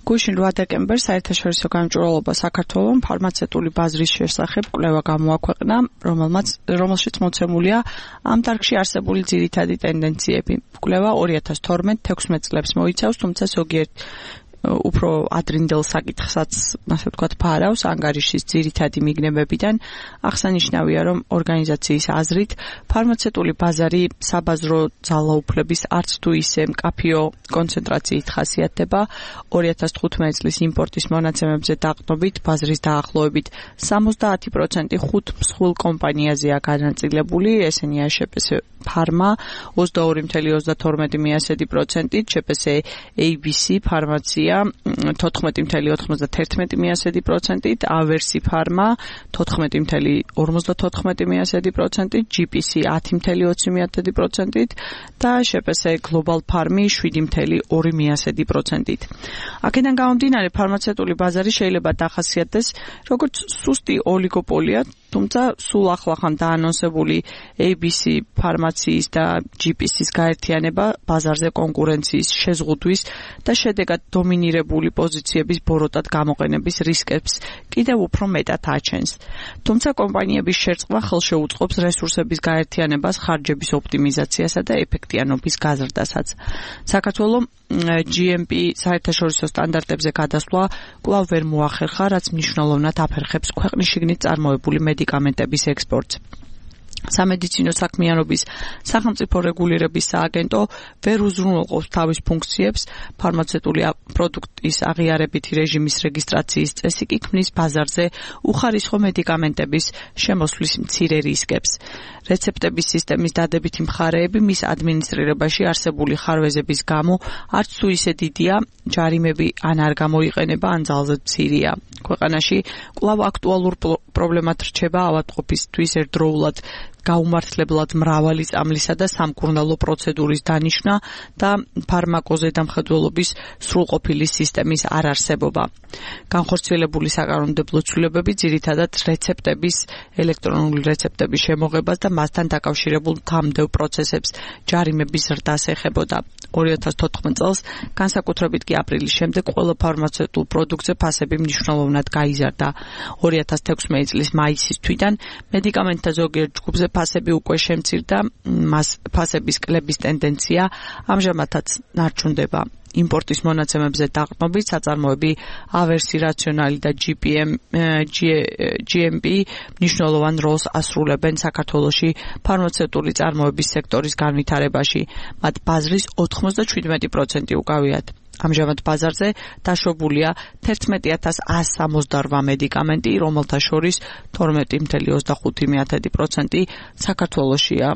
გუშინ 8 დეკემბერს საერთაშორისო გამჭვირვალობა საქართველოს ფარმაცევტული ბაზრის შესახებ კვლევა გამოაქვეყნა, რომელშიც მოცემულია ამ დარგში არსებული ძირითადი ტენდენციები. კვლევა 2012-16 წლებს მოიცავს, თუმცა ზოგიერთ უფრო ადრინდელ საკითხსაც, ასე ვთქვათ, ფარავს ანგარიშის ძირითადი მიგნებებიდან. აღსანიშნავია, რომ ორგანიზაციის აზრით ფარმაცევტული ბაზარი საბაზრო ძალაუფლების არც თუ ისე მკაფიო კონცენტრაციით ხასიათდება. 2015 წლის იმპორტის მონაცემებზე დაყრდნობით ბაზრის დაახლოებით 70% 5 მსხვილ კომპანიაზეა განაწილებული, ესენია შპს ფარმა 22.32%, შპს ABC ფარმაცია 14.91%, ავერსი ფარმა 14.54%, GPC 10.20% და შპს გლობალ ფარმი 7.2%. აქედან გამომდინარე, ფარმაცევტული ბაზარი შეიძლება დახასიათდეს როგორც სუსტი ოლიგოპოლია, თუმცა სულ ახლახან დაანონსებული ABC ფარმაციის და GPC-ის გაერთიანება ბაზარზე კონკურენციის შეზღუდვის და შედეგად დომინირებული პოზიციების ბოროტად გამოყენების რისკებს კიდევ უფრო მეტად აჩენს. თუმცა კომპანიების შერწყმა ხელშეუწყობს რესურსების გაერთიანებას, ხარჯების ოპტიმიზაციასა და ეფექტიანობის გაზრდასაც. საქართველოს GMP საერთაშორისო სტანდარტებზე გადასვლა კვლავ ვერ მოახერხა, რაც მნიშვნელოვნად აფერხებს ქვეყნის შიგნით წარმოებული მედიკამენტების ექსპორტს. სამედიცინო საქმიანობის სახელმწიფო რეგულირების სააგენტო ვერ უზრუნველყოფს თავის ფუნქციებს, ფარმაცევტული პროდუქტის აღიარებითი რეჟიმის რეგისტრაციის წესი კი ქმნის ბაზარზე უხარისხო მედიკამენტების შემოსვლის მცირე რისკებს. რეცეპტების სისტემის დადებითი მხარეები მის ადმინისტრირებაში არსებული ხარვეზების გამო არც თუ ისე დიდია, ჯარიმები ან არ გამოიყენება, ან ძალზედ მცირეა. ქვეყანაში კვლავ აქტუალურ პრობლემად რჩება ავადმყოფისთვის ერთდროულად გაუმართლებლად მრავალი წამლისა და სამკურნალო პროცედურის დანიშვნა და ფარმაკოზე დამხედველობის სრულყოფილი სისტემის არარსებობა. განხორციელებული საკანონმდებლო ცვლილებები ძირითადად რეცეპტების, ელექტრონული რეცეპტების შემოღებას და მასთან დაკავშირებულ თამდევ პროცესებს, ჯარიმების ზრდას ეხებოდა. 2014 წელს, განსაკუთრებით კი აპრილის შემდეგ, ყველა ფარმაცევტულ პროდუქტზე ფასები მნიშვნელოვნად გაიზარდა. 2016 წლის მაისის თვიდან მედიკამენტთა ზოგიერთ ჯგუფზე ფასები უკვე შემცირდა, მას ფასების კლების ტენდენცია ამჟამადაც ნარჩუნდება. იმპორტის მონაცემებზე დაყრდნობით საწარმოები ავერსი, რაციონალი და GMP მნიშვნელოვან როლს ასრულებენ საქართველოში ფარმაცევტული წარმოების სექტორის განვითარებაში. მათ ბაზრის 97% უკავიათ. ამჟამად ბაზარზე დაშვებულია 11.168 მედიკამენტი, რომელთა შორის 12.25% საქართველოშია.